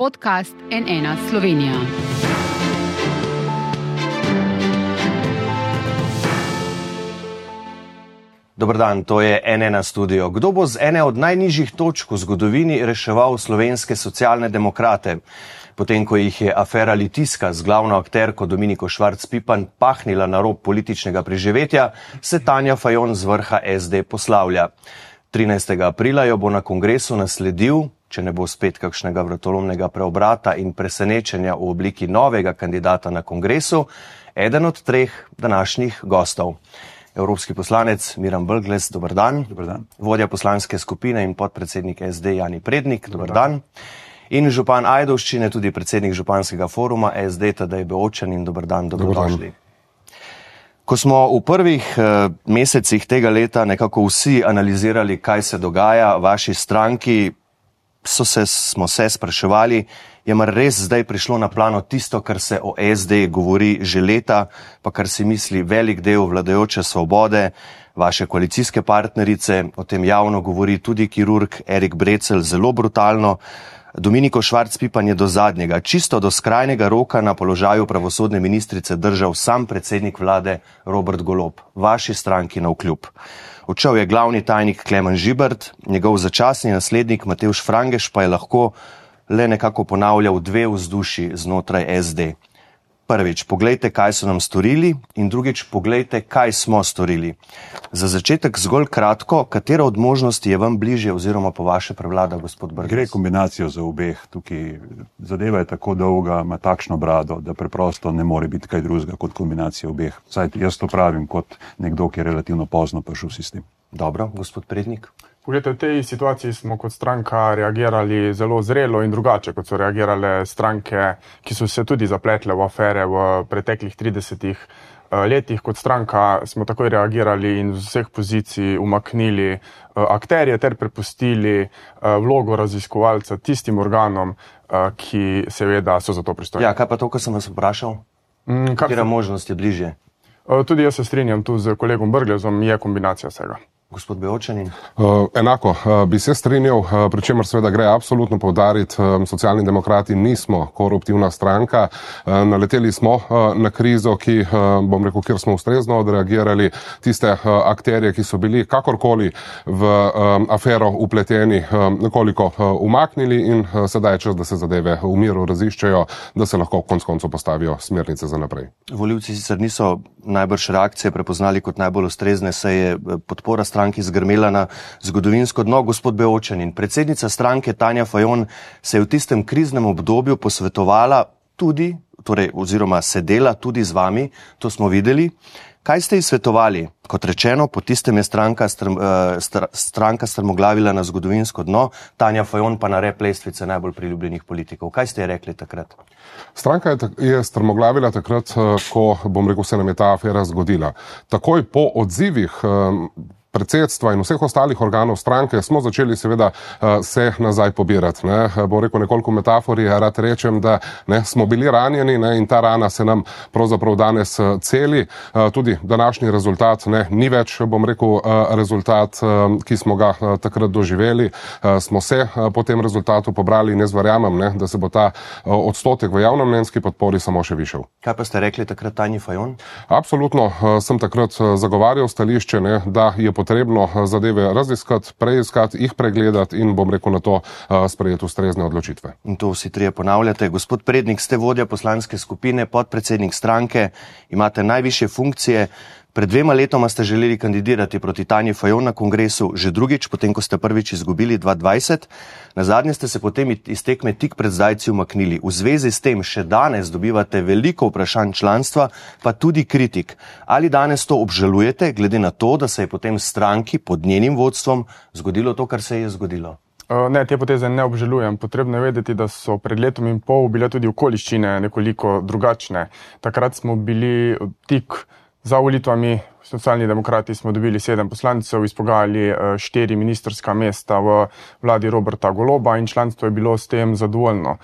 podcast N1 Slovenija. Dober dan, to je N1 studio. Kdo bo z ene od najnižjih točk v zgodovini reševal slovenske socialne demokrate? Potem, ko jih je afera Litijska z glavno akterko Dominiko Švarc Pipan pahnila na rob političnega preživetja, se Tanja Fajon z vrha SD poslavlja. 13. aprila jo bo na kongresu nasledil, če ne bo spet kakšnega vratolomnega preobrata in presenečenja v obliki novega kandidata na kongresu, eden od treh današnjih gostov. Evropski poslanec Miran Brglez, dober dan. Dober dan. Vodja poslanske skupine in podpredsednik SD Jani Prednik, dober dan. In župan Ajdovščine, tudi predsednik županskega foruma SD Tadej Beočan in dober dan, dobrodošli. Ko smo v prvih mesecih tega leta nekako vsi analizirali, kaj se dogaja v vaši stranki, smo se spraševali, je mar res zdaj prišlo na plano tisto, kar se o SD govori že leta, pa kar si misli velik del vladajoče Svobode, vaše koalicijske partnerice, o tem javno govori tudi kirurg Erik Brecelj zelo brutalno. Dominiko Švarc Pipan je do zadnjega, čisto do skrajnega roka na položaju pravosodne ministrice držal sam predsednik vlade Robert Golob, vaši stranki navkljub. Odšel je glavni tajnik Klemen Žibert, njegov začasni naslednik Matevž Frangeš pa je lahko le nekako ponavljal dve vzduši znotraj SD. Prvič, poglejte, kaj so nam storili, in drugič, poglejte, kaj smo storili. Za začetek zgolj kratko, katera od možnosti je vam bližje oziroma po vaše prevlada, gospod Brglez? Gre kombinacijo za obeh. Tukaj zadeva je tako dolga, ima takšno brado, da preprosto ne more biti kaj drugega kot kombinacija obeh. Saj jaz to pravim kot nekdo, ki je relativno pozno prišel v sistem. Dobro, gospod Prednik. Poglejte, v tej situaciji smo kot stranka reagirali zelo zrelo in drugače, kot so reagirale stranke, ki so se tudi zapletle v afere v preteklih 30 letih. Kot stranka smo takoj reagirali in z vseh pozicij umaknili akterje ter prepustili vlogo raziskovalca tistim organom, ki seveda so za to pristojni. Ja, kaj pa to, kar sem vas vprašal? Katera možnost je bližje? Tudi jaz se strinjam tu z kolegom Brglezom, je kombinacija vsega. Gospod Beočanin. Enako bi se strinjal, pri čemer seveda gre absolutno poudariti, Socialni demokrati nismo koruptivna stranka, naleteli smo na krizo, ki, bom rekel, kjer smo ustrezno odreagirali, tiste akterje, ki so bili kakorkoli v afero upleteni, nekoliko umaknili in sedaj je čas, da se zadeve v miru raziščejo, da se lahko konec koncev postavijo smernice za naprej. Volivci sicer niso najbrž reakcije prepoznali kot najbolj ustrezne, saj je podpora stranki zgrmela na zgodovinsko dno. Gospod Beočanin, predsednica stranke Tanja Fajon se je v tistem kriznem obdobju posvetovala tudi, oziroma sedela tudi z vami, to smo videli. Kaj ste ji svetovali? Kot rečeno, po tistem je stranka strmoglavila na zgodovinsko dno, Tanja Fajon pa na rep lestvice najbolj priljubljenih politikov. Kaj ste ji rekli takrat? Stranka je strmoglavila takrat, ko, bom rekel, se nam je ta afera zgodila. Takoj po odzivih predsedstva in vseh ostalih organov stranke smo začeli seveda se nazaj pobirati. Bo rekel nekoliko metafori, rad rečem, da smo bili ranjeni in ta rana se nam pravzaprav danes celi. Tudi današnji rezultat ni več, bom rekel, rezultat, ki smo ga takrat doživeli. Smo se po tem rezultatu pobrali in jaz verjamem, da se bo ta odstotek v javnomnenjski podpori samo še višal. Kaj pa ste rekli takrat Tanji Fajon? Absolutno sem takrat zagovarjal stališče, da je potrebno zadeve raziskati, preiskati, jih pregledati in, bom rekel, na to sprejeti ustrezne odločitve. In to vsi trije ponavljate. Gospod Prednik, ste vodja poslanske skupine, podpredsednik stranke, imate najvišje funkcije. Pred 2 letoma ste želeli kandidirati proti Tanji Fajon na kongresu, že drugič, potem ko ste prvič izgubili 2020. Nazadnje ste se potem iz tekme tik pred zdajci umaknili. V zvezi s tem še danes dobivate veliko vprašanj članstva, pa tudi kritik. Ali danes to obžalujete, glede na to, da se je potem stranki pod njenim vodstvom zgodilo to, kar se je zgodilo? Ne, te poteze ne obžalujem. Potrebno je vedeti, da so pred letom in pol bile tudi okoliščine nekoliko drugačne. Takrat smo bili tik za volitvami, Socialni demokrati smo dobili 7 poslancev, izpogajali 4 ministrska mesta v vladi Roberta Goloba in članstvo je bilo s tem zadovoljno.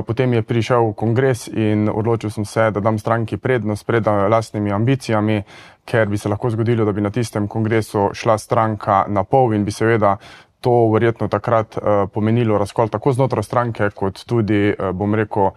Potem je prišel kongres in odločil sem se, da dam stranki prednost pred lastnimi ambicijami, ker bi se lahko zgodilo, da bi na tistem kongresu šla stranka na pol in bi seveda to verjetno takrat pomenilo razkol tako znotraj stranke, kot tudi, bom rekel,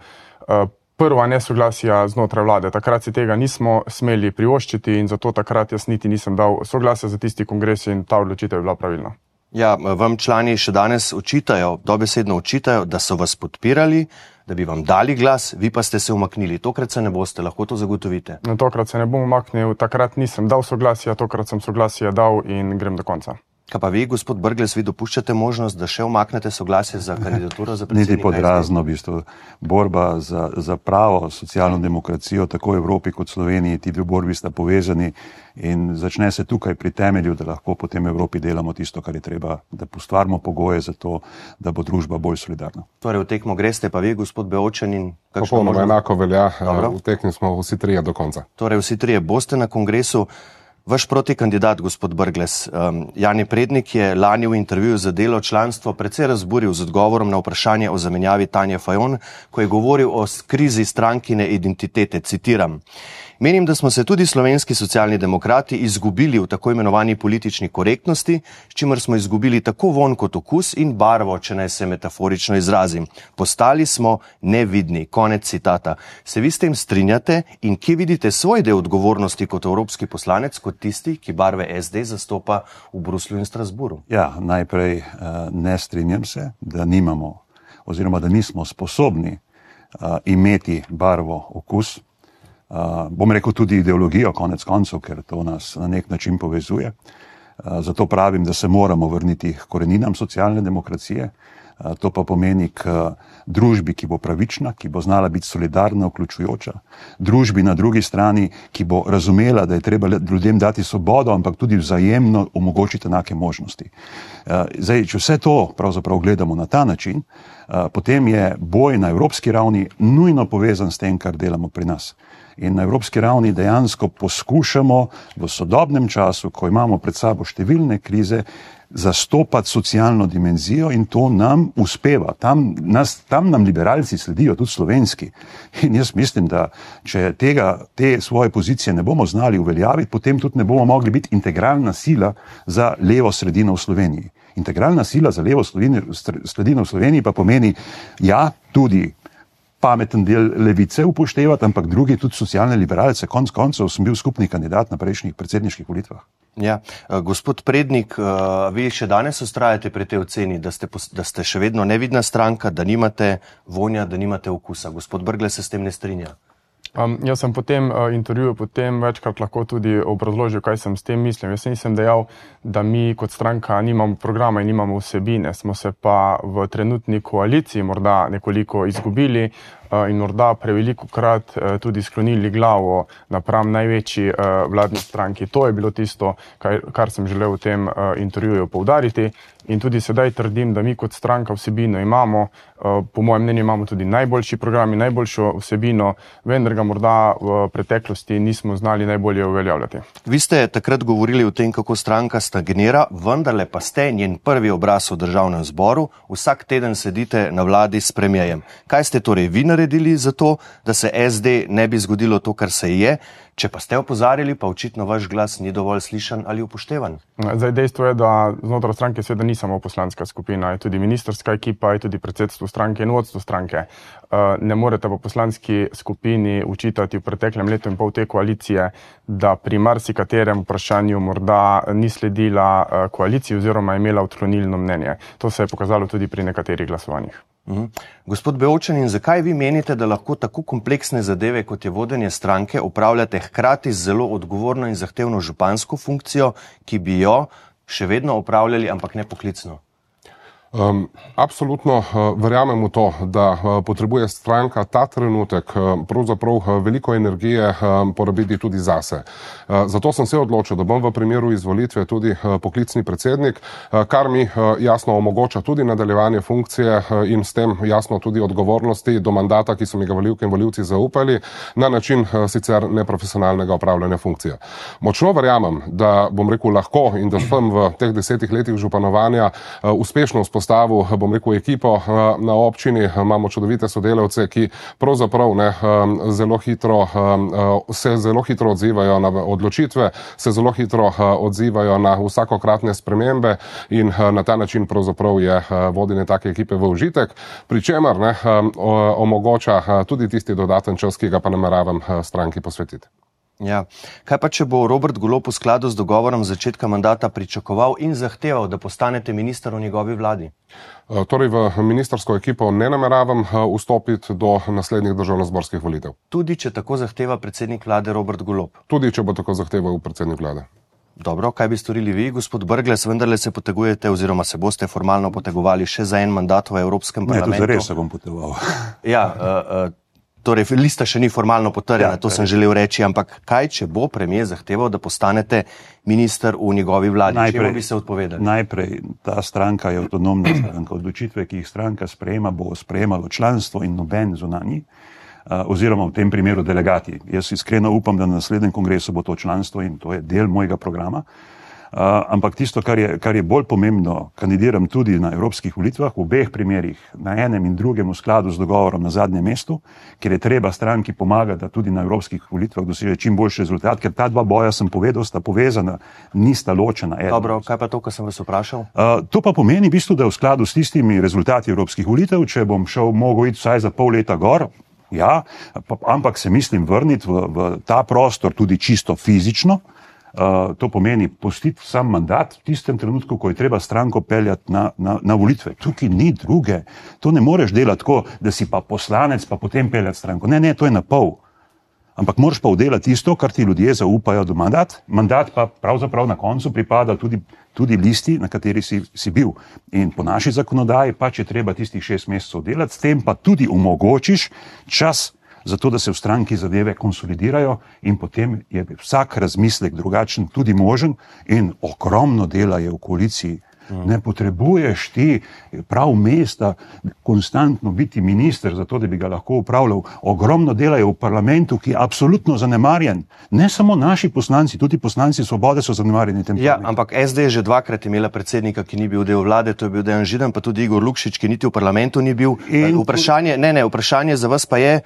prva nesoglasja znotraj vlade. Takrat si tega nismo smeli privoščiti in zato takrat jaz niti nisem dal soglasja za tisti kongres in ta odločitev je bila pravilna. Ja, vam člani še danes očitajo, dobesedno očitajo, da so vas podpirali, da bi vam dali glas, vi pa ste se umaknili. Tokrat se ne boste, lahko to zagotovite? No, tokrat se ne bom umaknil, takrat nisem dal soglasja, tokrat sem soglasje dal in grem do konca. Kaj pa vi, gospod Brglez, vi dopuščate možnost, da še umaknete soglasje za kandidaturo za predsednika? Niti podrazno, v bistvu. Borba za pravo socialno demokracijo, tako v Evropi kot Sloveniji, ti dve borbi sta povezani in začne se tukaj pri temelju, da lahko potem v Evropi delamo tisto, kar je treba, da ustvarimo pogoje za to, da bo družba bolj solidarna. Torej, v tekmo greste pa vi, gospod Beočanin? Popolnoma enako velja, v tekmi smo vsi trije do konca. Torej, vsi trije boste na kongresu. Vaš protikandidat, gospod Brglez, Jani Prednik, je lani v intervjuju za Delo članstvo precej razburil z odgovorom na vprašanje o zamenjavi Tanje Fajon, ko je govoril o krizi strankine identitete. Citiram: "Menim, da smo se tudi slovenski socialni demokrati izgubili v tako imenovani politični korektnosti, s čimer smo izgubili tako vonj kot okus in barvo, če naj se metaforično izrazim. Postali smo nevidni." Konec citata. Se vi s tem strinjate in kje vidite svoj del odgovornosti kot evropski poslanec, kot tisti, ki barve SD zastopa v Bruslju in Strasburu? Ja, najprej ne strinjam se, da nimamo oziroma da nismo sposobni imeti barvo, okus. Bom rekel tudi ideologijo, konec koncev, ker to nas na nek način povezuje. Zato pravim, da se moramo vrniti k koreninam socialne demokracije. To pa pomeni k družbi, ki bo pravična, ki bo znala biti solidarna, vključujoča. Družbi na drugi strani, ki bo razumela, da je treba ljudem dati svobodo, ampak tudi vzajemno omogočiti enake možnosti. Zdaj, če vse to pravzaprav gledamo na ta način, potem je boj na evropski ravni nujno povezan s tem, kar delamo pri nas. In na evropski ravni dejansko poskušamo v sodobnem času, ko imamo pred sabo številne krize, zastopati socialno dimenzijo in to nam uspeva. Tam nam liberalci sledijo, tudi slovenski. In jaz mislim, da če te svoje pozicije ne bomo znali uveljaviti, potem tudi ne bomo mogli biti integralna sila za levo sredino v Sloveniji. Integralna sila za levo sredino v Sloveniji pa pomeni, ja, tudi pameten del levice upoštevati, ampak drugi tudi socialne liberalce. Konec koncev sem bil skupni kandidat na prejšnjih predsedniških volitvah. Ja, gospod Prednik, vi še danes ustrajate pri tej oceni, da ste še vedno nevidna stranka, da nimate vonja, da nimate okusa. Gospod Brglez se s tem ne strinja. Jaz sem po tem intervjuju potem večkrat lahko tudi obrazložil, kaj sem s tem mislim. Jaz nisem dejal, da mi kot stranka nimamo programa in nimamo vsebine. Smo se pa v trenutni koaliciji morda nekoliko izgubili in morda preveliko krat tudi sklonili glavo napram največji vladni stranki. To je bilo tisto, kar sem želel v tem intervjuju poudariti. In tudi sedaj trdim, da mi kot stranka vsebino imamo, po mojem mnenju imamo tudi najboljši program in najboljšo vsebino, vendar ga morda v preteklosti nismo znali najbolje uveljavljati. Vi ste takrat govorili o tem, kako stranka stagnira, vendarle pa ste njen prvi obraz v državnem zboru, vsak teden sedite na vladi s premierjem. Kaj ste torej vi naredili za to, da se SD ne bi zgodilo to, kar se je? Če pa ste opozarjali, pa očitno vaš glas ni dovolj slišan ali upoštevan. Zdaj, dejstvo je, da znotraj stranke seveda ni samo poslanska skupina, je tudi ministrska ekipa, je tudi predsedstvo stranke in vodstvo stranke. Ne morete pa poslanski skupini učitati v preteklem letu in pol te koalicije, da pri marsikaterem vprašanju morda ni sledila koaliciji oziroma imela odklonilno mnenje. To se je pokazalo tudi pri nekaterih glasovanjih. Gospod Beočanin, zakaj vi menite, da lahko tako kompleksne zadeve, kot je vodenje stranke, opravljate hkrati z zelo odgovorno in zahtevno župansko funkcijo, ki bi jo še vedno opravljali, ampak ne poklicno? Absolutno verjamem v to, da potrebuje stranka ta trenutek pravzaprav veliko energije porabiti tudi zase. Zato sem se odločil, da bom v primeru izvolitve tudi poklicni predsednik, kar mi jasno omogoča tudi nadaljevanje funkcije in s tem jasno tudi odgovornosti do mandata, ki so mi ga volivke in volivci zaupali, na način sicer neprofesionalnega opravljanja funkcije. Močno verjamem, da bom rekel lahko in da sem v teh 10 letih županovanja uspešno vzpostavil vzpostavil, bom rekel, ekipo na občini. Imamo čudovite sodelavce, ki pravzaprav se zelo hitro odzivajo na odločitve, se zelo hitro odzivajo na vsakokratne spremembe in na ta način pravzaprav je vodenje take ekipe v užitek, pri čemer omogoča tudi tisti dodaten čas, ki ga pa nameravam stranki posvetiti. Ja. Kaj pa, če bo Robert Golob v skladu z dogovorom začetka mandata pričakoval in zahteval, da postanete minister v njegovi vladi? Torej v ministersko ekipo ne nameravam vstopiti do naslednjih državnozborskih volitev. Tudi, če tako zahteva predsednik vlade Robert Golob? Tudi, če bo tako zahteval predsednik vlade. Dobro, kaj bi storili vi, gospod Brglez? Vendarle se potegujete oziroma se boste formalno potegovali še za en mandat v Evropskem parlamentu? Ne, to zares se bom potegoval. Ja, torej lista še ni formalno potrjena, to sem želel reči, ampak kaj, če bo premier zahteval, da postanete minister v njegovi vladi? Čemu bi se odpovedali? Najprej, ta stranka je avtonomna stranka. Odločitve, ki jih stranka sprejema, bo sprejemalo članstvo in noben zunanji, oziroma v tem primeru delegati. Jaz iskreno upam, da na naslednjem kongresu bo to članstvo in to je del mojega programa. Ampak tisto, kar je bolj pomembno, kandidiram tudi na evropskih volitvah, v obeh primerih, na enem in drugem v skladu z dogovorom na zadnjem mestu, ker je treba stranki pomagati, da tudi na evropskih volitvah doseže čim boljši rezultat, ker ta dva boja, sem povedal, sta povezana, nista ločena. Dobro, kaj pa to, kar sem vas vprašal? To pa pomeni v bistvu, da v skladu s tistimi rezultati evropskih volitev, če bom mogel iti vsaj za pol leta gor, ja, ampak se mislim vrniti v ta prostor tudi čisto fizično. To pomeni pustiti sam mandat v tistem trenutku, ko je treba stranko peljati na volitve. Tukaj ni druge. To ne moreš delati tako, da si pa poslanec, pa potem peljati stranko. Ne, to je na pol. Ampak moraš pa vdelati tisto, kar ti ljudje zaupajo do mandat. Mandat pa pravzaprav na koncu pripada tudi listi, na kateri si bil. In po naši zakonodaji pa, če treba tistih 6 mesecev delati, s tem pa tudi omogočiš čas, zato da se v stranki zadeve konsolidirajo in potem je vsak razmislek drugačen tudi možen in ogromno dela je v koaliciji. Ne potrebuješ ti prav mesta konstantno biti minister, zato da bi ga lahko upravljal. Ogromno dela je v parlamentu, ki je absolutno zanemarjen. Ne samo naši poslanci, tudi poslanci Svobode so zanemarjeni. Ja, ampak SD je že dvakrat imela predsednika, ki ni bil del vlade, to je bil Dejan Židan, pa tudi Igor Lukšič, ki niti v parlamentu ni bil. Vprašanje za vas pa je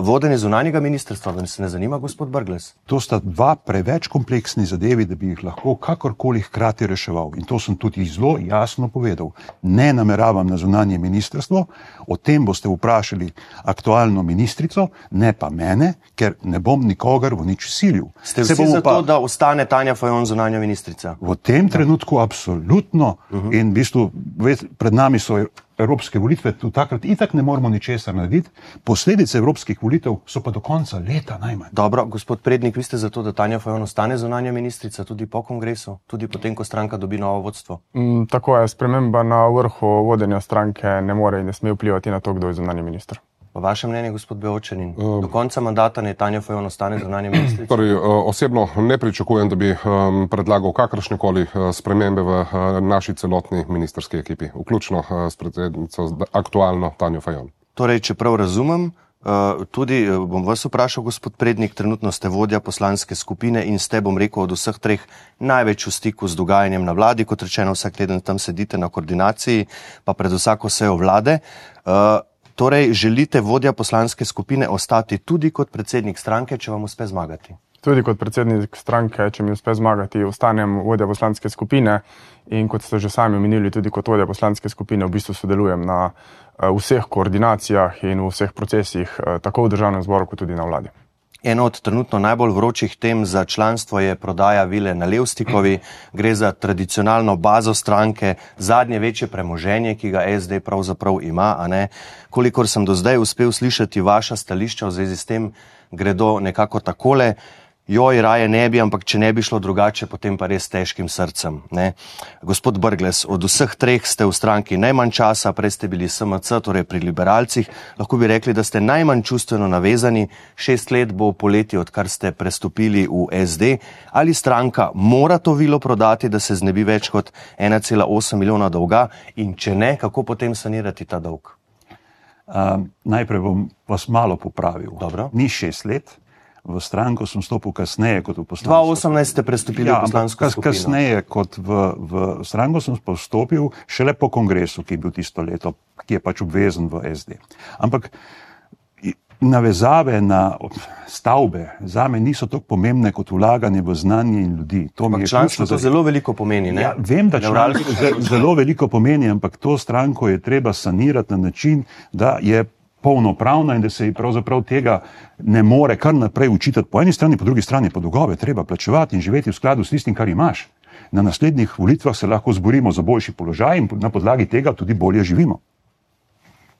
vodenje zunanjega ministrstva. Vam se ne zanima, gospod Brglez? To sta dva preveč kompleksni zadevi, da bi jih lahko kakorkoli hkrati reševal. In to sem tudi zelo jasno povedal. Ne nameravam na zunanje ministrstvo, o tem boste vprašali aktualno ministrico, ne pa mene, ker ne bom nikogar v nič silil. Ste vsi za to, da ostane Tanja Fajon zunanja ministrica? V tem trenutku absolutno. In v bistvu pred nami so evropske volitve, tu takrat itak ne moramo ničesar narediti. Posledice evropskih volitev so pa do konca leta najmanj. Dobro, gospod Prednik, vi ste za to, da Tanja Fajon ostane zunanja ministrica tudi po kongresu, tudi potem, ko stranka dobi novo vodstvo? Tako je, sprememba na vrhu vodenja stranke ne more in ne sme vplivati na to, kdo je zunanji minister. Po vašem mnenju, gospod Beočanin, do konca mandata ne Tanja Fajon ostane zunanja ministrica? Torej, osebno ne pričakujem, da bi predlagal kakršnekoli spremembe v naši celotni ministerski ekipi, vključno s predsednico aktualno Tanjo Fajon. Torej, če prav razumem, tudi bom vas vprašal, gospod Prednik, trenutno ste vodja poslanske skupine in ste, bom rekel, od vseh treh največ v stiku z dogajanjem na vladi, kot rečeno, vsak teden tam sedite na koordinaciji, pa pred vsako sejo vlade. Torej, želite vodja poslanske skupine ostati tudi kot predsednik stranke, če vam uspe zmagati? Tudi kot predsednik stranke, če mi uspe zmagati, ostanem vodja poslanske skupine in kot ste že sami omenili, tudi kot vodja poslanske skupine v bistvu sodelujem na vseh koordinacijah in v vseh procesih, tako v državnem zboru, kot tudi na vladi. Eno od trenutno najbolj vročih tem za članstvo je prodaja vile na Levstikovi. Gre za tradicionalno bazo stranke, zadnje večje premoženje, ki ga SD pravzaprav ima, a ne? Kolikor sem do zdaj uspel slišati vaša stališča v zvezi s tem, gredo nekako takole. Joj, raje ne bi, ampak če ne bi šlo drugače, potem pa res težkim srcem. Ne? Gospod Brglez, od vseh treh ste v stranki najmanj časa, prej ste bili SMC, torej pri liberalcih. Lahko bi rekli, da ste najmanj čustveno navezani. 6 let bo poleti, odkar ste prestopili v SD. Ali stranka mora to vilo prodati, da se znebi več kot 1,8 milijona dolga? In če ne, kako potem sanirati ta dolg? Najprej bom vas malo popravil. Dobro. Ni 6 let. V stranko sem stopil kasneje kot v poslansko. 2018 ste prestopili v poslansko skupino. Kasneje kot v stranko sem pa vstopil šele po kongresu, ki je bil tisto leto, ki je pač obvezen v SD. Ampak navezave na stavbe zame niso tako pomembne kot vlaganje v znanje in ljudi. Članstvo to zelo veliko pomeni, ne? Ja, vem, da članstvo zelo veliko pomeni, ampak to stranko je treba sanirati na način, da je polnopravna in da se ji pravzaprav tega ne more kar naprej učitati po eni strani, po drugi strani pa dolgove treba plačevati in živeti v skladu s tistim, kar imaš. Na naslednjih volitvah se lahko zborimo za boljši položaj in na podlagi tega tudi bolje živimo.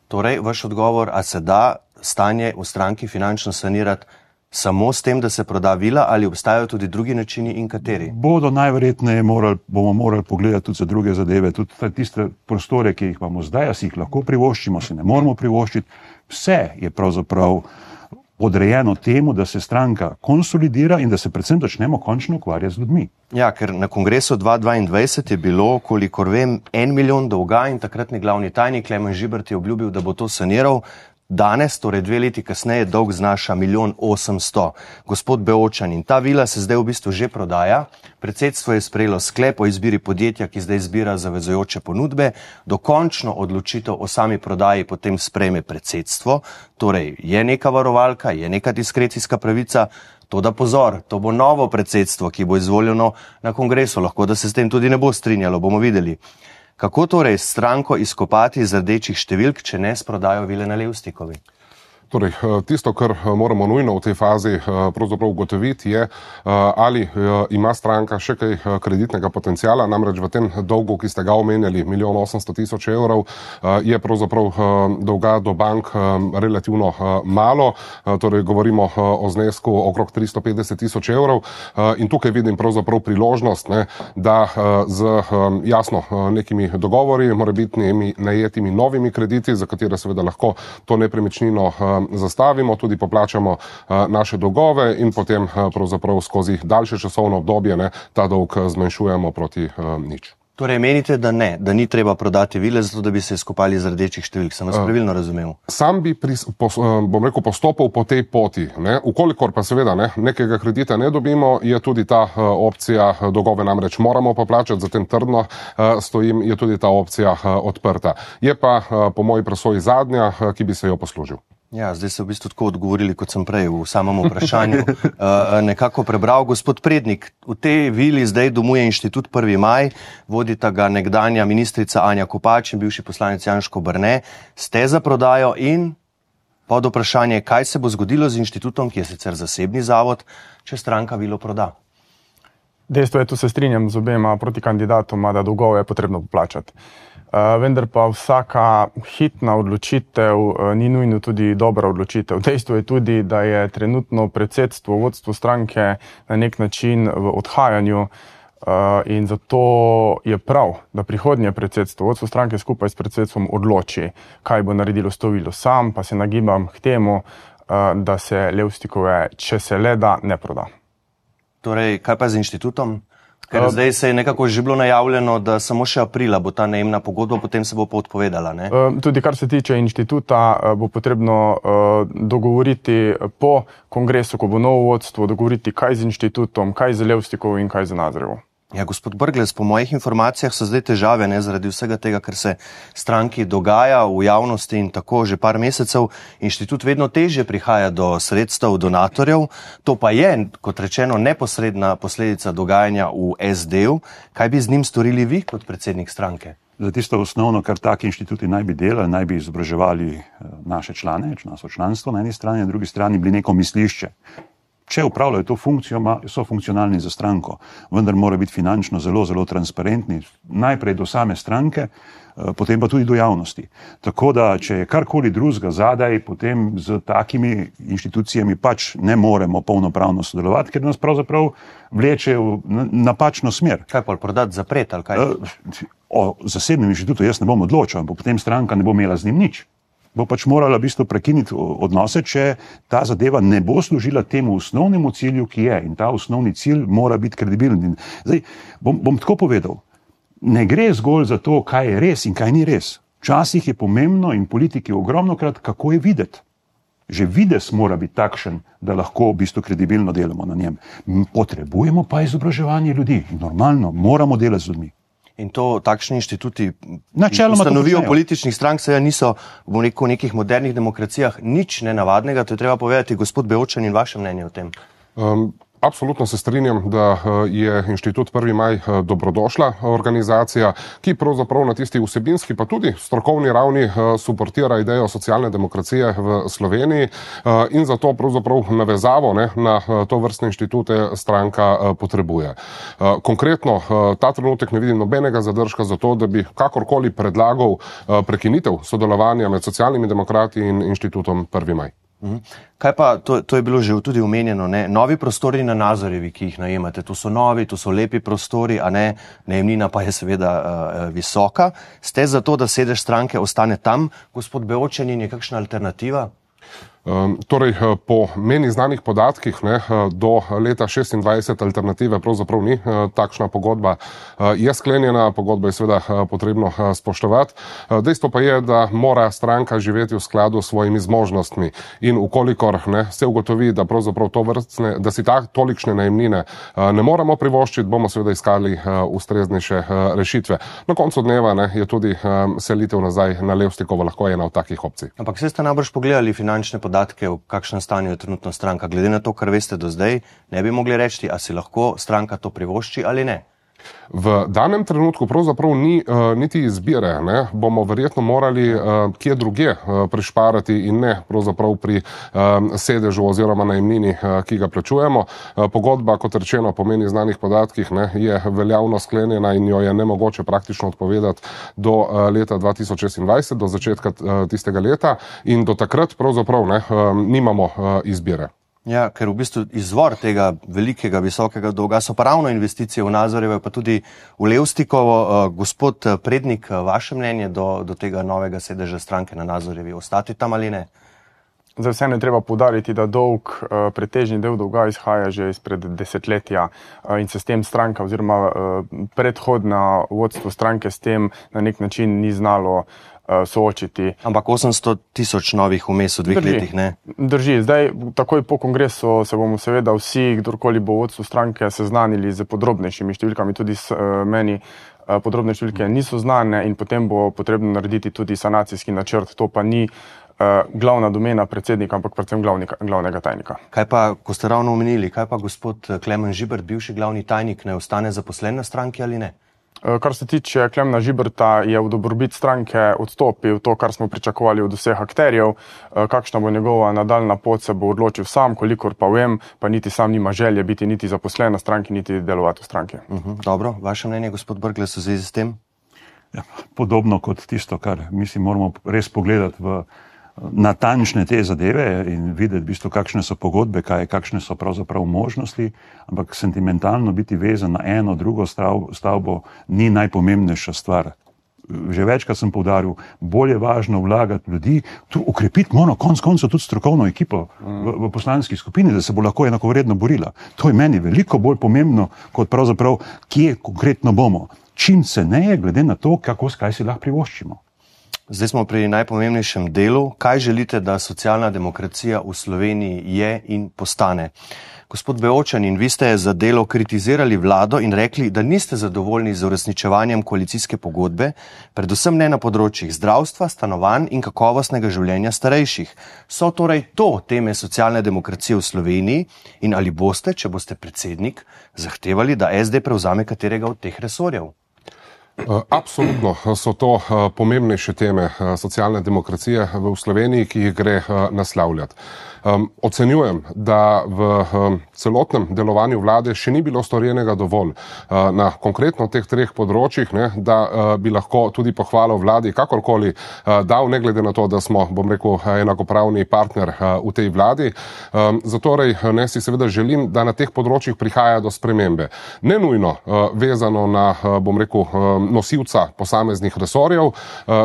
Torej, vaš odgovor, a se da stanje v stranki finančno sanirati samo s tem, da se proda vila, ali obstajajo tudi drugi načini in kateri? Bodo najverjetneje bomo morali pogledati tudi za druge zadeve, tudi tiste prostore, ki jih imamo zdaj, a si jih lahko privoščimo, si ne moramo privoščiti. Vse je pravzaprav odrejeno temu, da se stranka konsolidira in da se predvsem začnemo končno ukvarjati z ljudmi. Ja, ker na kongresu 2022 je bilo, kolikor vem, 1 milijon dolga in takratni glavni tajnik Klemen Žibert je obljubil, da bo to saniral. Danes, torej 2 leti kasneje, dolg znaša 1 800 000. Gospod Beočan, in ta vila se zdaj v bistvu že prodaja. Predsedstvo je sprejelo sklep o izbiri podjetja, ki zdaj izbira zavezujoče ponudbe. Dokončno odločitev o sami prodaji potem sprejme predsedstvo. Torej je neka varovalka, je neka diskrecijska pravica. Toda pozor, to bo novo predsedstvo, ki bo izvoljeno na kongresu. Lahko, da se s tem tudi ne bo strinjalo, bomo videli. Kako torej stranko izkopati iz rdečih številk, če ne sprodajo vile na Levstikovi? Torej, tisto, kar moramo nujno v tej fazi pravzaprav ugotoviti, je, ali ima stranka še kaj kreditnega potencijala. Namreč v tem dolgu, ki ste ga omenjali, 1 800 000 evrov, je pravzaprav dolga do bank relativno malo. Torej, govorimo o znesku okrog 350 000 evrov. In tukaj vidim pravzaprav priložnost, ne, da z jasno nekimi dogovori, morebitnimi najetimi novimi krediti, za katere seveda lahko to nepremičnino zastavimo, tudi poplačamo naše dolgove in potem pravzaprav skozi daljše časovno obdobje ta dolg zmanjšujemo proti nič. Torej menite, da ne, da ni treba prodati vile, zato da bi se izkopali iz rdečih številk. Sem vas pravilno razumel? Sam bi, bom rekel, postopal po tej poti. Ukolikor pa seveda nekega kredita ne dobimo, je tudi ta opcija, dolgove namreč moramo poplačati, zatem trdno stojim, je tudi ta opcija odprta. Je pa po moji presoji zadnja, ki bi se jo poslužil. Ja, zdaj ste v bistvu tako odgovorili, kot sem prej v samem vprašanju nekako prebral. Gospod Prednik, v tej vili zdaj domuje Inštitut 1. maj, vodita ga nekdanja ministrica Anja Kopač in bivši poslanec Janško Brne. Ste za prodajo in pod vprašanje, kaj se bo zgodilo z inštitutom, ki je sicer zasebni zavod, če stranka vilo proda? Dejstvo je, tu se strinjam z obema protikandidatoma, da dolgove je potrebno poplačati. Vendar pa vsaka hitna odločitev ni nujno tudi dobra odločitev. Dejstvo je tudi, da je trenutno predsedstvo, vodstvo stranke na nek način v odhajanju in zato je prav, da prihodnje predsedstvo, vodstvo stranke skupaj s predsedstvom odloči, kaj bo naredilo s to vilo. Sam pa se nagibam k temu, da se Levstikove, če se le da, ne proda. Torej, kaj pa z inštitutom? Ker zdaj se je nekako že bilo najavljeno, da samo še aprila bo ta najemna pogodba, potem se bo pa odpovedala, ne? Tudi kar se tiče inštituta, bo potrebno dogovoriti po kongresu, ko bo novo vodstvo, dogovoriti kaj z inštitutom, kaj z Levstikovo in kaj z Nazarjevo. Ja, gospod Brglez, po mojih informacijah so zdaj težave, zaradi vsega tega, ker se stranki dogaja v javnosti in tako že par mesecev. Inštitut vedno težje prihaja do sredstev donatorjev. To pa je, kot rečeno, neposredna posledica dogajanja v SD-u. Kaj bi z njim storili vi kot predsednik stranke? Za tisto osnovno, kar taki inštituti naj bi delali, naj bi izobraževali naše člane, naše članstvo na eni strani, na drugi strani bili neko mislišče. Če upravljajo to funkcijo, so funkcionalni za stranko, vendar mora biti finančno zelo, zelo transparentni, najprej do same stranke, potem pa tudi do javnosti. Tako da, če je karkoli drugega zadaj, potem z takimi inštitucijami pač ne moremo polnopravno sodelovati, ker nas pravzaprav vleče v napačno smer. Kaj pa prodati, zapreti ali kaj? O zasebnem inštitutu jaz ne bom odločal, ampak potem stranka ne bo imela z njim nič. Bo pač morala v bistvu prekiniti odnose, če ta zadeva ne bo služila temu osnovnemu cilju, ki je. In ta osnovni cilj mora biti kredibilen. Zdaj, bom tako povedal, ne gre zgolj za to, kaj je res in kaj ni res. Včasih je pomembno in politiki ogromnokrat, kako je videti. že vides mora biti takšen, da lahko v bistvu kredibilno delamo na njem. Potrebujemo pa izobraževanje ljudi. Normalno, moramo delati z ljudmi. In to takšni inštituti ustanovijo političnih strank, seveda niso v nekih modernih demokracijah nič nenavadnega, to je treba povedati, gospod Beočan, in vaše mnenje o tem. Absolutno se strinjam, da je inštitut 1. maj dobrodošla organizacija, ki pravzaprav na tisti vsebinski pa tudi strokovni ravni suportira idejo socialne demokracije v Sloveniji in zato pravzaprav navezavo na to vrstne inštitute stranka potrebuje. Konkretno ta trenutek ne vidim nobenega zadržka za to, da bi kakorkoli predlagal prekinitev sodelovanja med socialnimi demokrati in inštitutom 1. maj. Kaj pa, to je bilo že tudi omenjeno, ne? Novi prostori na Nazorjevi, ki jih najemate, to so novi, to so lepi prostori, a ne, najemnina pa je seveda visoka. Ste za to, da sedež stranke ostane tam, gospod Beočan, in je kakšna alternativa? Torej, po meni znanih podatkih do leta 26 alternative pravzaprav ni takšna pogodba. Je sklenjena, pogodba je seveda potrebno spoštovati. Dejstvo pa je, da mora stranka živeti v skladu s svojimi zmožnostmi in ukolikor se ugotovi, da pravzaprav da si tolikšne najemnine ne moramo privoščiti, bomo seveda iskali ustreznejše rešitve. Na koncu dneva je tudi selitev nazaj na Levstikovo lahko ena od takih opcij. Ampak ste najbrž pogledali finančne podatke, v kakšnem stanju je trenutno stranka. Glede na to, kar veste do zdaj, ne bi mogli reči, a si lahko stranka to privošči ali ne. V danem trenutku pravzaprav ni niti izbire. Bomo verjetno morali kje druge prišparati in ne pravzaprav pri sedežu oziroma najemnini, ki ga plačujemo. Pogodba, kot rečeno, po meni znanih podatkih, je veljavno sklenjena in jo je nemogoče praktično odpovedati do leta 2026, do začetka tistega leta, in do takrat pravzaprav nimamo izbire. Ja, ker v bistvu izvor tega velikega, visokega dolga so pa ravno investicije v Nazorjevo, pa tudi v Levstikovo. Gospod Prednik, vaše mnenje do tega novega sedeža stranke na Nazorjevi, ostati tam ali ne? Zdaj vseeno je treba poudariti, da dolg, pretežni del dolga izhaja že izpred desetletja in se s tem stranka oziroma predhodna vodstvo stranke s tem na nek način ni znalo soočiti. Ampak 800,000 novih vmes v 2 letih, ne? Drži. Zdaj, takoj po kongresu se bomo seveda vsi, kdorkoli bo vodstvo stranke, seznanili z podrobnejšimi številkami, tudi meni podrobne številke niso znane in potem bo potrebno narediti tudi sanacijski načrt. To pa ni glavna domena predsednika, ampak predvsem glavnega tajnika. Kaj pa, ko ste ravno omenili, kaj pa gospod Klemen Žibert, bivši glavni tajnik, ne ostane zaposlen na stranki ali ne? Kar se tiče Klemna Žiberta, je v dobrobit stranke odstopil, to, kar smo pričakovali od vseh akterjev. Kakšna bo njegova nadaljna pot, se bo odločil sam, kolikor pa vem, pa niti sam nima želje biti niti zaposlen na stranki, niti delovati v stranki. Dobro, vaše mnenje, gospod Brglez, v zvezi s tem? Ja, podobno kot tisto, kar mislim, moramo res pogledati v natančne te zadeve in videti, v bistvu, kakšne so pogodbe, kakšne so pravzaprav možnosti, ampak sentimentalno biti vezan na eno, drugo stavbo ni najpomembnejša stvar. Že večkrat sem poudaril, bolj je važno vlagati ljudi, tu ukrepiti moramo konec koncev tudi strokovno ekipo v poslanski skupini, da se bo lahko enakovredno borila. To je meni veliko bolj pomembno, kot pravzaprav, kje konkretno bomo. Čim se ne, glede na to, kaj si lahko privoščimo. Zdaj smo pri najpomembnejšem delu. Kaj želite, da socialna demokracija v Sloveniji je in postane? Gospod Beočan, in vi ste za Delo kritizirali vlado in rekli, da niste zadovoljni z uresničevanjem koalicijske pogodbe, predvsem ne na področjih zdravstva, stanovanj in kakovostnega življenja starejših. So torej to teme socialne demokracije v Sloveniji in ali boste, če boste predsednik, zahtevali, da SD prevzame katerega od teh resorjev? Absolutno so to pomembnejše teme socialne demokracije v Sloveniji, ki jih gre naslavljati. Ocenjujem, da v celotnem delovanju vlade še ni bilo storjenega dovolj na konkretno teh 3 področjih, da bi lahko tudi pohvalil vladi kakorkoli dal, ne glede na to, da smo, bom rekel, enakopravni partner v tej vladi. Zatorej si seveda želim, da na teh področjih prihaja do spremembe. Ne nujno vezano na, bom rekel, nosilca posameznih resorjev.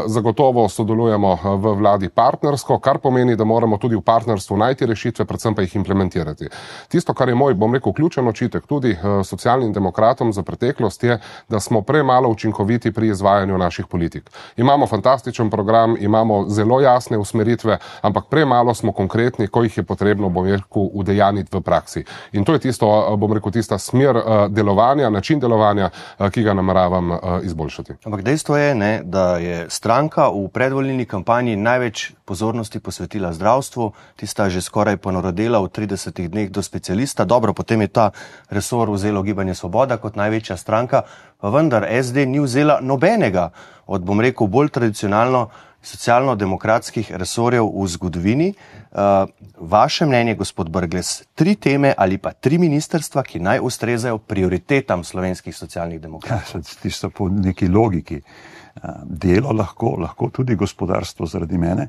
Zagotovo sodelujemo v vladi partnersko, kar pomeni, da moramo tudi v partnerstvu najti rešitve, predvsem pa jih implementirati. Tisto, kar je moj, bom rekel, ključen očitek tudi socialnim demokratom za preteklost je, da smo premalo učinkoviti pri izvajanju naših politik. Imamo fantastičen program, imamo zelo jasne usmeritve, ampak premalo smo konkretni, ko jih je potrebno, bom rekel, udejaniti v praksi. In to je tisto, bom rekel, tista smer delovanja, način delovanja, ki ga nameravam izboljšati. Ampak dejstvo je, ne, da je stranka v predvolilni kampanji največ pozornosti posvetila zdravstvu, tista že skoraj ponarodela v 30 dneh do specialista. Dobro, potem je ta resor vzelo Gibanje Svoboda kot največja stranka, pa vendar SD ni vzela nobenega od, bom rekel, bolj tradicionalno socialno-demokratskih resorjev v zgodovini. Vaše mnenje, gospod Brglez, 3 teme ali pa 3 ministrstva, ki naj ustrezajo prioritetam slovenskih socialnih demokratov? Ja, tisto po neki logiki. Delo lahko tudi gospodarstvo zaradi mene,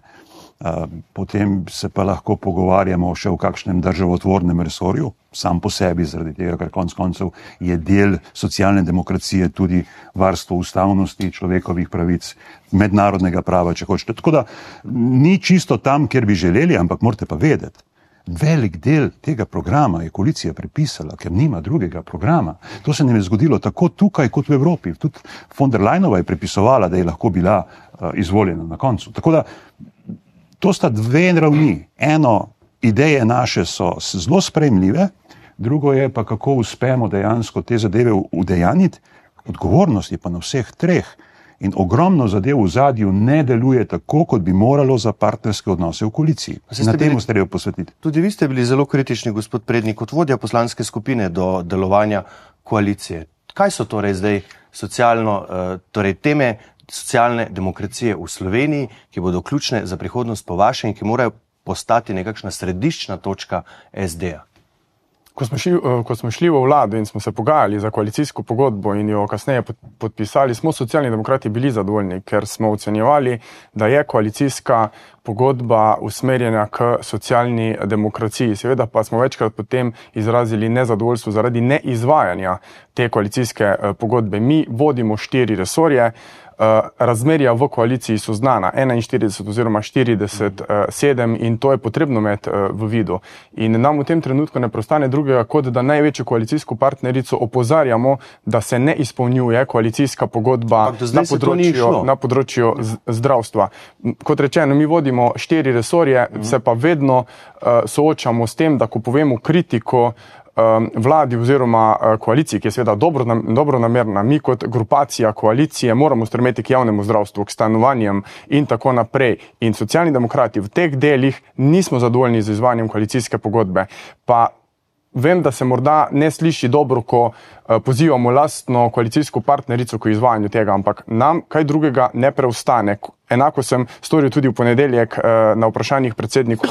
potem se pa lahko pogovarjamo še v kakšnem državotvornem resorju, sam po sebi, zaradi tega, ker konec koncev je del socialne demokracije tudi varstvo ustavnosti, človekovih pravic, mednarodnega prava, če hočete. Tako da ni čisto tam, kjer bi želeli, ampak morate pa vedeti, velik del tega programa je koalicija prepisala, ker nima drugega programa. To se nam je zgodilo tako tukaj kot v Evropi. Tudi von der Leyenova je prepisovala, da je lahko bila izvoljena na koncu. Tako da to sta 2 ravni. Eno, ideje naše so zelo sprejemljive, drugo je pa, kako uspemo dejansko te zadeve udejaniti. Odgovornost je pa na vseh 3. In ogromno zadev v zadju ne deluje tako, kot bi moralo za partnerske odnose v koaliciji. Na temu se treba posvetiti. Tudi vi ste bili zelo kritični, gospod Prednik, kot vodja poslanske skupine do delovanja koalicije. Kaj so torej zdaj teme socialne demokracije v Sloveniji, ki bodo ključne za prihodnost po vašem in ki morajo postati nekakšna središčna točka SD-ja? Ko smo šli v vlado in smo se pogajali za koalicijsko pogodbo in jo kasneje podpisali, smo socialni demokrati bili zadovoljni, ker smo ocenjevali, da je koalicijska pogodba usmerjena k socialni demokraciji. Seveda pa smo večkrat potem izrazili nezadovoljstvo zaradi neizvajanja te koalicijske pogodbe. Mi vodimo 4 resorje, razmerja v koaliciji so znana, 41 oziroma 47 in to je potrebno imeti v vidu. In nam v tem trenutku ne preostane drugega, kot da največjo koalicijsko partnerico opozarjamo, da se ne izpolnjuje koalicijska pogodba na področju zdravstva. Kot rečeno, mi vodimo 4 resorje, se pa vedno soočamo s tem, da ko povemo kritiko vladi oziroma koaliciji, ki je seveda dobronamerna, mi kot grupacija koalicije moramo stremeti k javnemu zdravstvu, k stanovanjem in tako naprej. In socialni demokrati v teh delih nismo zadovoljni z izvajanjem koalicijske pogodbe. Pa vem, da se morda ne sliši dobro, ko pozivamo lastno koalicijsko partnerico k izvajanju tega, ampak nam kaj drugega ne preostane. Enako sem storil tudi v ponedeljek na vprašanjih predsedniku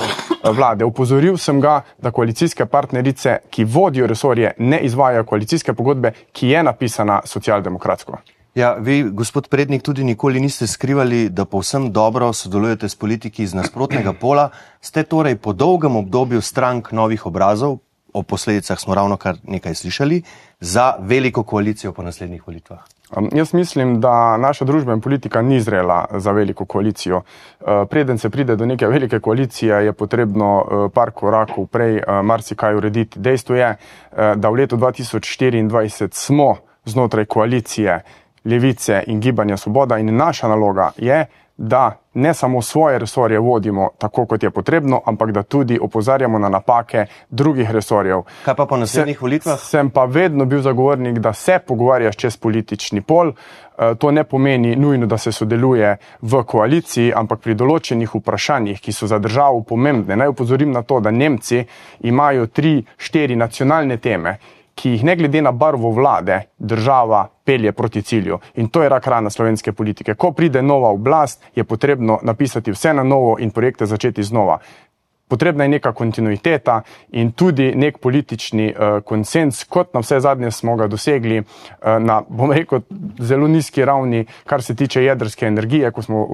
vlade. Upozoril sem ga, da koalicijske partnerice, ki vodijo resorje, ne izvajajo koalicijske pogodbe, ki je napisana socialdemokratsko. Ja, vi, gospod Prednik, tudi nikoli niste skrivali, da povsem dobro sodelujete s politiki iz nasprotnega pola. Ste torej po dolgem obdobju strank novih obrazov, o posledicah smo ravno kar nekaj slišali, za veliko koalicijo po naslednjih volitvah? Jaz mislim, da naša družba in politika ni zrela za veliko koalicijo. Preden se pride do neke velike koalicije, je potrebno par korakov prej marsikaj urediti. Dejstvo je, da v letu 2024 smo znotraj koalicije Levice in Gibanja Svoboda in naša naloga je, da ne samo svoje resorje vodimo tako, kot je potrebno, ampak da tudi opozarjamo na napake drugih resorjev. Kaj pa po naslednjih volitvah? Sem pa vedno bil zagovornik, da se pogovarjaš čez politični pol. To ne pomeni nujno, da se sodeluje v koaliciji, ampak pri določenih vprašanjih, ki so za državo pomembne. Naj opozorim na to, da Nemci imajo 3-4 nacionalne teme, ki jih ne glede na barvo vlade država pelje proti cilju. In to je rak rana slovenske politike. Ko pride nova oblast, je potrebno napisati vse na novo in projekte začeti znova. potrebna je neka kontinuiteta in tudi nek politični konsens, kot na vse zadnje smo ga dosegli na, bom rekel, zelo nizki ravni, kar se tiče jedrske energije, ko smo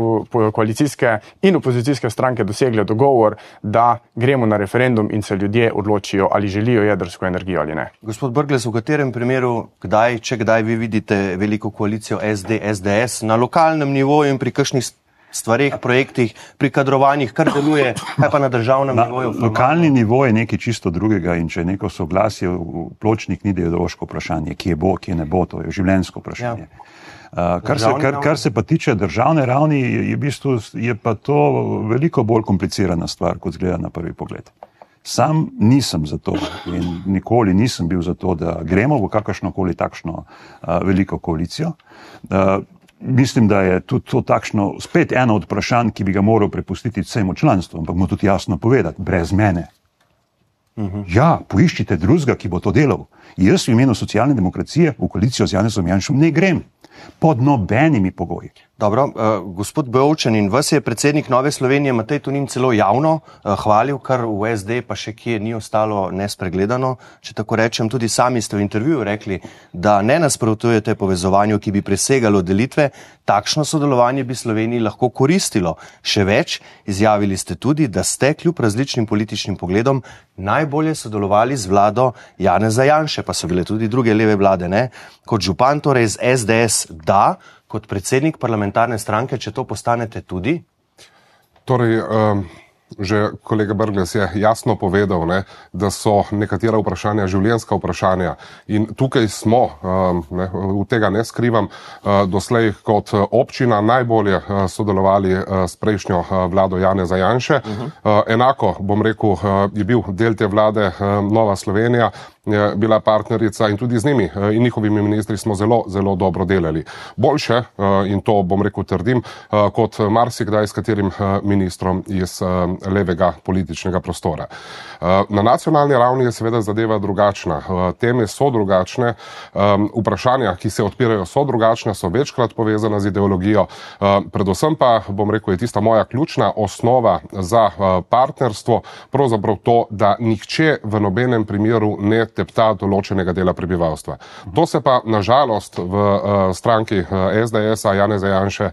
koalicijske in opozicijske stranke dosegli dogovor, da gremo na referendum in se ljudje odločijo, ali želijo jedrsko energijo ali ne. Gospod Brglez, v katerem primeru, če kdaj vi vidite veliko koalicijo SD, SDS na lokalnem nivoju in pri kakšnih stvareh, projektih, pri kadrovanjih, kar deluje, kaj pa na državnem nivoju? Lokalni nivo je nekaj čisto drugega in če je neko soglasje v Pločnik, ni ideološko vprašanje, kje bo, kje ne bo, to je življenjsko vprašanje. Kar se pa tiče državne ravni, je pa to veliko bolj komplicirana stvar, kot zgleda na prvi pogled. Sam nisem za to in nikoli nisem bil za to, da gremo v kakršnokoli takšno veliko koalicijo. Mislim, da je tudi to takšno spet eno od vprašanj, ki bi ga moral prepustiti vsemu članstvu, ampak mu tudi jasno povedati, brez mene. Ja, poiščite drugega, ki bo to delal. Jaz v imenu socialne demokracije v koalicijo z Janezom Janšom ne grem. Pod nobenimi pogoji. Dobro, gospod Bevčanin, vas je predsednik Nove Slovenije Matej Tonin celo javno hvalil, kar v SD pa še kje ni ostalo nespregledano. Če tako rečem, tudi sami ste v intervjuju rekli, da ne nasprotujete povezovanju, ki bi presegalo delitve. Takšno sodelovanje bi Sloveniji lahko koristilo. Še več, izjavili ste tudi, da ste kljub različnim političnim pogledom najbolje sodelovali z vlado Janeza Janše, pa so bile tudi druge leve vlade, ne? Kot župan, torej z SDS, da, kot predsednik parlamentarne stranke, če to postanete tudi? Torej, že kolega Brglez je jasno povedal, ne, da so nekatera vprašanja življenjska vprašanja in tukaj smo, v tega ne skrivam, doslej kot občina najbolje sodelovali s prejšnjo vlado Janeza Janše. Enako, bom rekel, je bil del te vlade Nova Slovenija, bila partnerica in tudi z njimi in njihovimi ministri smo zelo, zelo dobro delali. Boljše, in to bom rekel trdim, kot marsikdaj s katerim ministrom iz levega političnega prostora. Na nacionalni ravni je seveda zadeva drugačna. Teme so drugačne, vprašanja, ki se odpirajo, so drugačne, so večkrat povezana z ideologijo. Predvsem pa, bom rekel, je tista moja ključna osnova za partnerstvo, pravzaprav to, da nihče v nobenem primeru ne tepta določenega dela prebivalstva. To se pa nažalost v stranki SDS-a Janeza Janše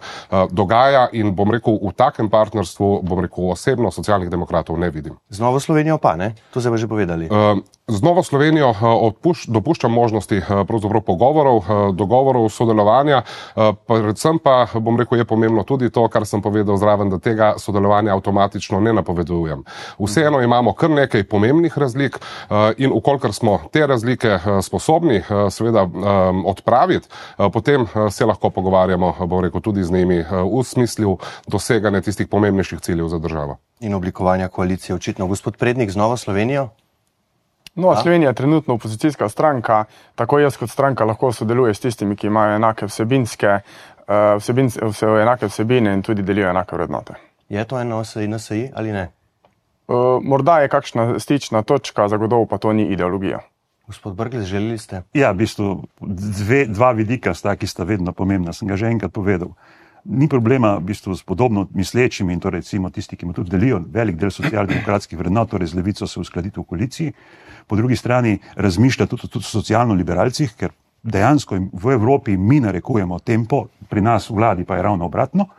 dogaja in bom rekel, v takem partnerstvu, bom rekel, osebno Socialnih demokratov ne vidim. Z Novo Slovenijo pa, ne? To ste pa že povedali. Z Novo Slovenijo dopuščam možnosti pravzaprav dogovorov, sodelovanja, predvsem pa, bom rekel, je pomembno tudi to, kar sem povedal zraven, da tega sodelovanja avtomatično ne napovedujem. Vseeno imamo kar nekaj pomembnih razlik in ukolikor smo te razlike sposobni seveda odpraviti, potem se lahko pogovarjamo, bom rekel, tudi z njimi v smislu doseganja tistih pomembnejših ciljev za državo. In oblikovanja koalicije očitno. Gospod Prednik, z Novo Slovenijo? Nova Slovenija je trenutno opozicijska stranka, tako jaz kot stranka lahko sodeluje s tistimi, ki imajo enake enake vsebine in tudi delijo enake vrednote. Je to eno NSI ali ne? Morda je kakšna stična točka, zagotovo pa to ni ideologija. Gospod Brglez, želeli ste? Ja, v bistvu dva vidika sta, ki sta vedno pomembna, sem ga že enkrat povedal. Ni problema v bistvu s podobno mislečimi in to recimo tisti, ki mu tudi delijo velik del socialdemokratskih vrednot, torej z levico se uskladiti v koaliciji. Po drugi strani razmišlja tudi o socialno-liberalcih, ker dejansko v Evropi mi narekujemo tempo, pri nas v vladi pa je ravno obratno.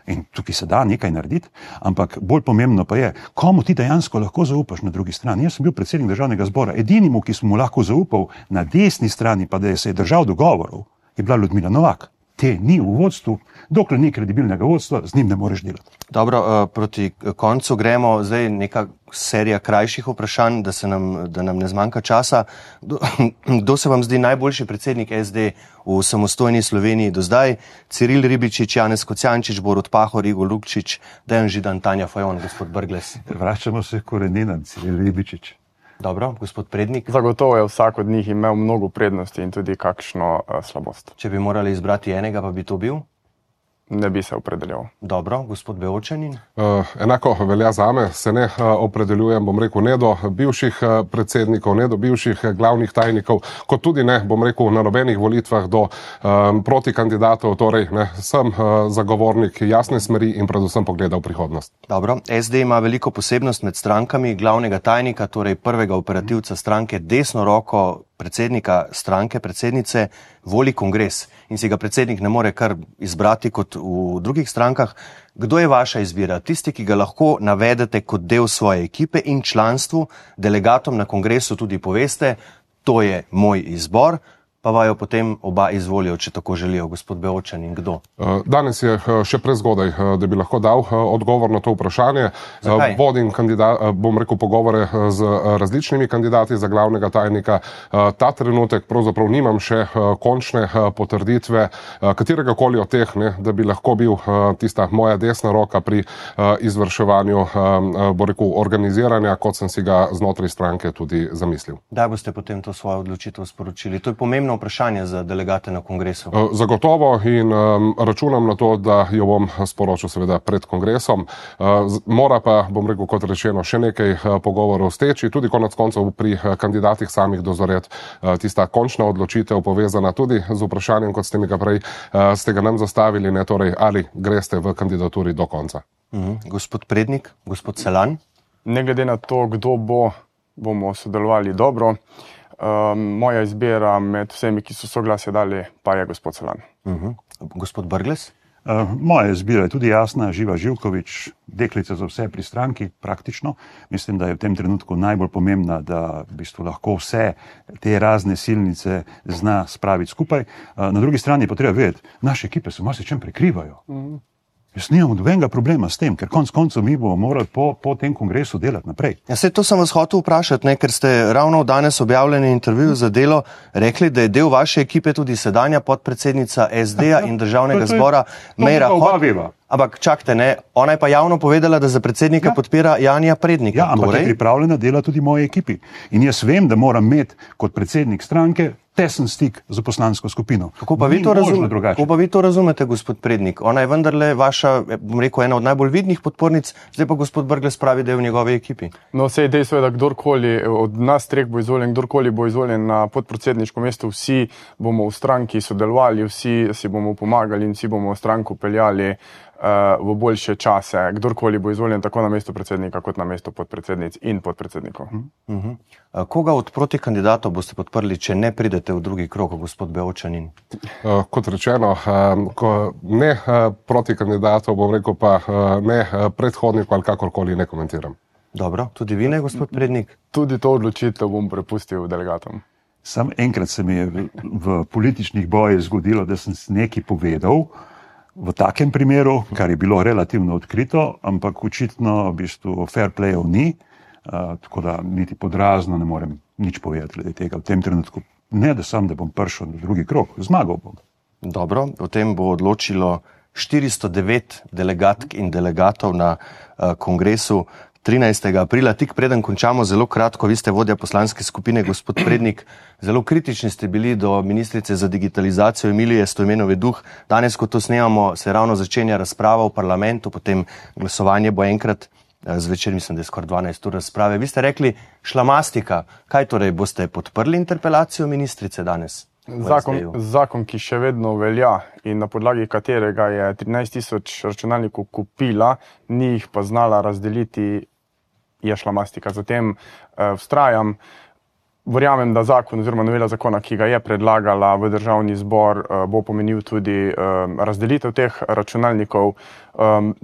In tukaj se da nekaj narediti, ampak bolj pomembno pa je, komu ti dejansko lahko zaupaš na drugi strani. Jaz sem bil predsednik državnega zbora, edinimu, ki sem mu lahko zaupal na desni strani, pa da se je držal dogovorov, je bila Ljudmila Novak. Te ni v vodstvu, dokler ni kredibilnega vodstva, z njim ne moreš delati. Dobro, proti koncu gremo, zdaj neka serija krajših vprašanj, da nam ne zmanjka časa. Kdo se vam zdi najboljši predsednik SD v samostojni Sloveniji do zdaj? Ciril Ribičič, Janez Kocjančič, Borut Pahor, Igor Lukšič, Dejan Židan, Tanja Fajon, gospod Brglez. Vračamo se koreninam, Ciril Ribičič. Dobro, gospod Prednik. Zagotovo je vsak od njih imel mnogo prednosti in tudi kakšno slabost. Če bi morali izbrati enega, pa bi to bil? ne bi se opredelil. Dobro, gospod Beočanin? Enako velja zame, se ne opredeljujem, bom rekel, ne do bivših predsednikov, ne do bivših glavnih tajnikov, kot tudi ne, bom rekel, na nobenih volitvah do protikandidatov, torej ne, sem zagovornik jasne smeri in predvsem pogleda v prihodnost. Dobro, SD ima veliko posebnost med strankami, glavnega tajnika, torej prvega operativca stranke, desno roko predsednika stranke, predsednice, voli kongres in si ga predsednik ne more kar izbrati kot v drugih strankah. Kdo je vaša izbira? Tisti, ki ga lahko navedete kot del svoje ekipe in članstvu, delegatom na kongresu tudi poveste, to je moj izbor, pa vajo potem oba izvolijo, če tako želijo. Gospod Beočanin, kdo? Danes je še prezgodaj, da bi lahko dal odgovor na to vprašanje. Zakaj? Vodim bom rekel, pogovore z različnimi kandidati za glavnega tajnika. Ta trenutek pravzaprav nimam še končne potrditve katerega koli od teh, ne, da bi lahko bil tista moja desna roka pri izvrševanju, bom rekel, organiziranja, kot sem si ga znotraj stranke tudi zamislil. Kdaj boste potem to svojo odločitev sporočili? To je pomembno vprašanje za delegate na kongresu. Zagotovo in računam na to, da jo bom sporočil seveda pred kongresom. Mora pa, bom rekel, kot rečeno, še nekaj pogovorov steči, tudi konec koncev pri kandidatih samih dozoreti tista končna odločitev povezana tudi z vprašanjem, kot ste mi ga prej ste ga nam zastavili, ne, torej ali greste v kandidaturi do konca. Gospod Prednik, gospod Selan? Ne glede na to, kdo bomo sodelovali dobro. Moja izbira med vsemi, ki so soglasje dali, pa je gospod Selan. Gospod Brglez? Moja izbira je tudi jasna, Živa Živković, deklica za vse pri stranki, praktično. Mislim, da je v tem trenutku najbolj pomembna, da v bistvu lahko vse te razne silnice zna spraviti skupaj. Na drugi strani pa treba vedeti, naše ekipe se marsičem prekrivajo. Jaz nimam nobenega problema s tem, ker konec koncev mi bomo morali po tem kongresu delati naprej. Ja, saj to sem vas hotel vprašati, ne, ker ste ravno v danes objavljeni intervju za Delo rekli, da je del vaše ekipe tudi sedanja podpredsednica SD-ja in državnega zbora Meira Hot. Ampak čakajte, ne, ona je pa javno povedala, da za predsednika podpira Janija Prednika. Ja, ampak je pripravljena dela tudi moji ekipi. In jaz vem, da moram imeti kot predsednik stranke tesen stik z poslansko skupino. Kako pa vi to razumete, gospod Prednik? Ona je vendarle vaša, bom rekel, ena od najbolj vidnih podpornic, zdaj pa gospod Brglez pravi, da je v njegovi ekipi. No, sej dejstvo je, da kdorkoli od nas treh bo izvoljen, kdorkoli bo izvoljen na podpredsedniško mesto, vsi bomo v stranki sodelovali, vsi si bomo pomagali in vsi bomo stranko peljali v boljše čase, kdorkoli bo izvoljen tako na mesto predsednika, kot na mesto podpredsednic in podpredsednikov. Koga od protikandidatov boste podprli, če ne pridete v drugi krog, gospod Beočanin? Kot rečeno, ne protikandidatov, bom rekel pa ne predhodnikov ali kakorkoli ne komentiram. Dobro, tudi vi ne, gospod Prednik? Tudi to odločitev bom prepustil delegatom. Sam enkrat se mi je v političnih bojih zgodilo, da sem nekaj povedal, v takem primeru, kar je bilo relativno odkrito, ampak očitno v bistvu fair playov ni, tako da niti podrazno ne morem nič povedati glede tega v tem trenutku. Ne, da bom prišel na drugi krog, zmagal bom. Dobro, o tem bo odločilo 409 delegatk in delegatov na kongresu 13. aprila, tik preden končamo, zelo kratko, vi ste vodja poslanske skupine, gospod Prednik, zelo kritični ste bili do ministrice za digitalizacijo Emilije Stojmenove Duh. Danes, ko to snemamo, se ravno začenja razprava v parlamentu, potem glasovanje bo enkrat zvečer, mislim, da je skoraj 12 ur razprave. Vi ste rekli šlamastika. Kaj torej, boste podprli interpelacijo ministrice danes? Zakon, ki še vedno velja in na podlagi katerega je 13.000 računalnikov kupila, ni jih pa znala razdeliti, je šlamastika. Zatem vztrajam, verjamem, da zakon oziroma novela zakona, ki ga je predlagala v državni zbor, bo pomenil tudi razdelitev teh računalnikov.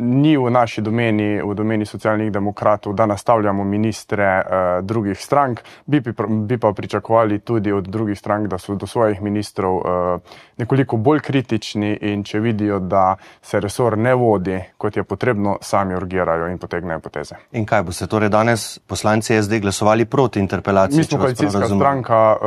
Ni v naši domeni, v domeni Socialnih demokratov, da nastavljamo ministre drugih strank, bi pa pričakovali tudi od drugih strank, da so do svojih ministrov nekoliko bolj kritični in če vidijo, da se resor ne vodi, kot je potrebno, sami urgirajo in potegnejo poteze. In kaj boste torej danes poslanci SD glasovali proti interpelaciji? Mi smo koalicijska stranka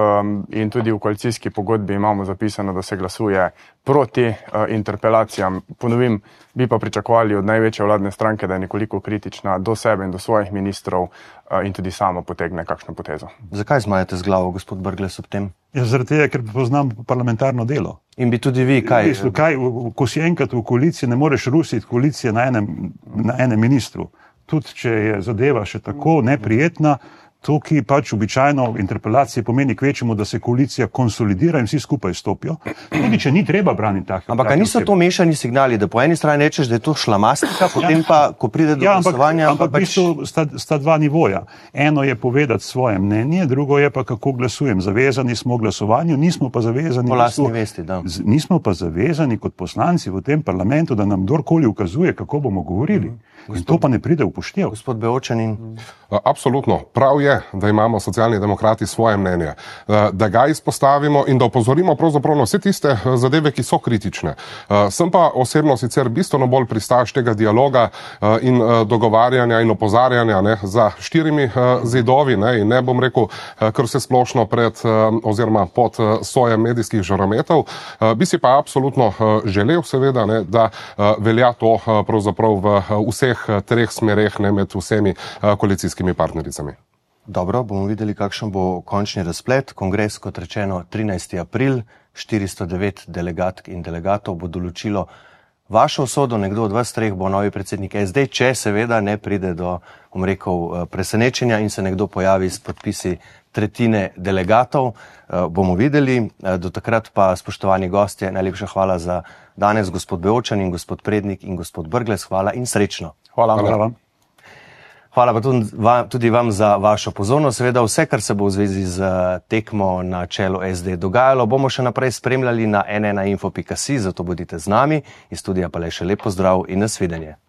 in tudi v koalicijski pogodbi imamo zapisano, da se glasuje proti interpelacijam. Ponovim, bi pa pričakovali od največje vladne stranke, da je nekoliko kritična do sebe in do svojih ministrov in tudi sama potegne kakšno potezo. Zakaj zmajate z glavo, gospod Brglez, ob tem? Ja, zaradi tega, ker poznam parlamentarno delo. In bi tudi vi kaj? Ko si enkrat v koaliciji, ne moreš rusiti koalicije na enem ministru. Tudi če je zadeva še tako neprijetna, to, ki pač običajno v interpelaciji pomeni kvečemu, da se koalicija konsolidira in vsi skupaj stopijo. Tudi, če ni treba braniti takih. Ampak niso to mešani signali, da po eni strani rečeš, da je to šlamastika, potem pa, ko pride do glasovanja... Ampak v bistvu sta dva nivoja. Eno je povedati svoje mnenje, drugo je pa, kako glasujem. Zavezani smo v glasovanju, nismo pa zavezani... Po lastni vesti, da. Nismo pa zavezani kot poslanci v tem parlamentu, da nam kdorkoli ukazuje, kako bomo govorili. In to pa ne pride v upoštev. Gospod Beočanin. Absolutno. Prav je, da imamo Socialni demokrati svoje mnenje, da ga izpostavimo in da opozorimo pravzaprav na vse tiste zadeve, ki so kritične. Sem pa osebno sicer bistveno bolj pristaš tega dialoga in dogovarjanja in opozarjanja za štirimi zidovi, in ne bom rekel, kar se splošno pred oziroma pod sojem medijskih žarometov. Bi si pa absolutno želel seveda, da velja to pravzaprav v vseh treh smereh, med vsemi koalicijskimi partnericami. Dobro, bomo videli, kakšen bo končni razplet. Kongres, kot rečeno, 13. april, 409 delegatk in delegatov bo določilo vašo usodo. Nekdo od vas treh bo novi predsednik SD, če seveda ne pride do, presenečenja in se nekdo pojavi s podpisi tretjine delegatov. Bomo videli. Do takrat pa, spoštovani gostje, najlepša hvala za danes, gospod Beočanin, gospod Prednik in gospod Brglez. Hvala in srečno. Hvala vam. Hvala pa tudi vam za vašo pozornost. Seveda vse, kar se bo v zvezi z tekmo na čelu SD dogajalo, bomo še naprej spremljali na n1info.si, zato bodite z nami. Iz studija pa le še lep pozdrav in nasvidenje.